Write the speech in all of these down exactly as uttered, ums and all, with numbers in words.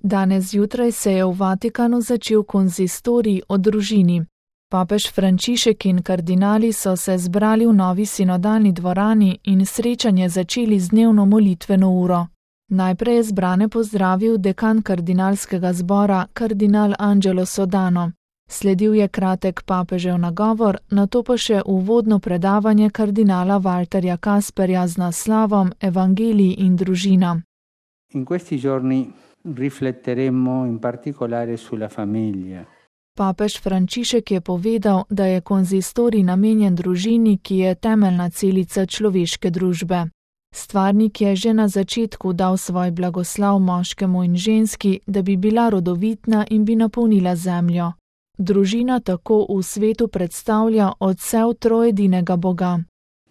Danes zjutraj se je v Vatikanu začel konzistorij o družini. Papež Frančišek in kardinali so se zbrali v novi sinodalni dvorani in srečanje začeli z dnevno molitveno uro. Najprej je zbrane pozdravil dekan kardinalskega zbora, kardinal Angelo Sodano. Sledil je kratek papežev nagovor, nato pa še uvodno predavanje kardinala Walterja Kasperja z naslovom Evangelij in družina. In questi giorni rifletteremo in particolare sulla famiglia. Papež Frančišek je povedal, da je konzistorij namenjen družini, ki je temeljna celica človeške družbe. Stvarnik je že na začetku dal svoj blagoslov moškemu in ženski, da bi bila rodovitna in bi napolnila zemljo. Družina tako v svetu predstavlja odsev trojedinega Boga.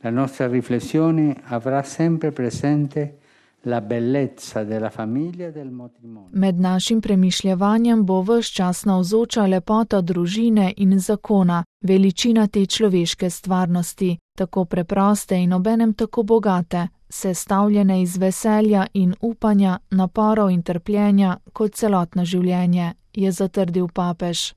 La nostra riflessione avrà sempre presente la bellezza della famiglia e del matrimonio. Med našim premišljevanjem bo ves čas navzoča lepota družine in zakona, veličina te človeške stvarnosti, tako preproste in obenem tako bogate, sestavljene iz veselja in upanja, naporov in trpljenja kot celotno življenje, je zatrdil papež.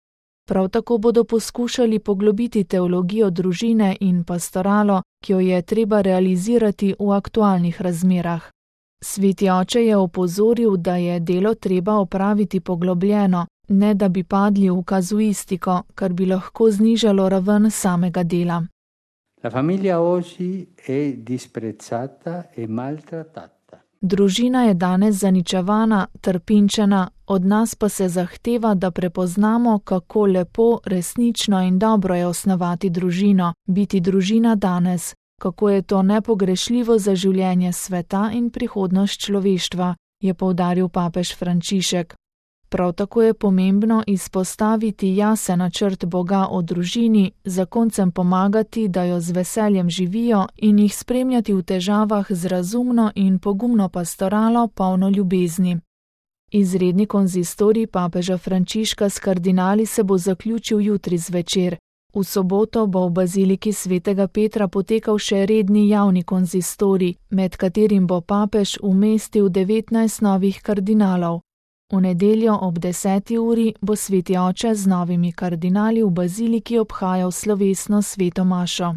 Prav tako bodo poskušali poglobiti teologijo družine in pastoralo, ki jo je treba realizirati v aktualnih razmerah. Sveti oče je opozoril, da je delo treba opraviti poglobljeno, ne da bi padli v kazuistiko, kar bi lahko znižalo raven samega dela. La famiglia oggi è disprezzata e maltrattata. Družina je danes zaničevana, trpinčena, od nas pa se zahteva, da prepoznamo, kako lepo, resnično in dobro je osnovati družino, biti družina danes, kako je to nepogrešljivo za življenje sveta in prihodnost človeštva, je poudaril papež Frančišek. Prav tako je pomembno izpostaviti jasen načrt Boga o družini, zakoncem pomagati, da jo z veseljem živijo in jih spremljati v težavah z razumno in pogumno pastoralo, polno ljubezni. Izredni konzistorij papeža Frančiška s kardinali se bo zaključil jutri zvečer. V soboto bo v baziliki svetega Petra potekal še redni javni konzistorij, med katerim bo papež umestil devetnajst novih kardinalov. V nedeljo ob deseti uri bo sveti oče z novimi kardinali v baziliki obhajal slovesno sveto mašo.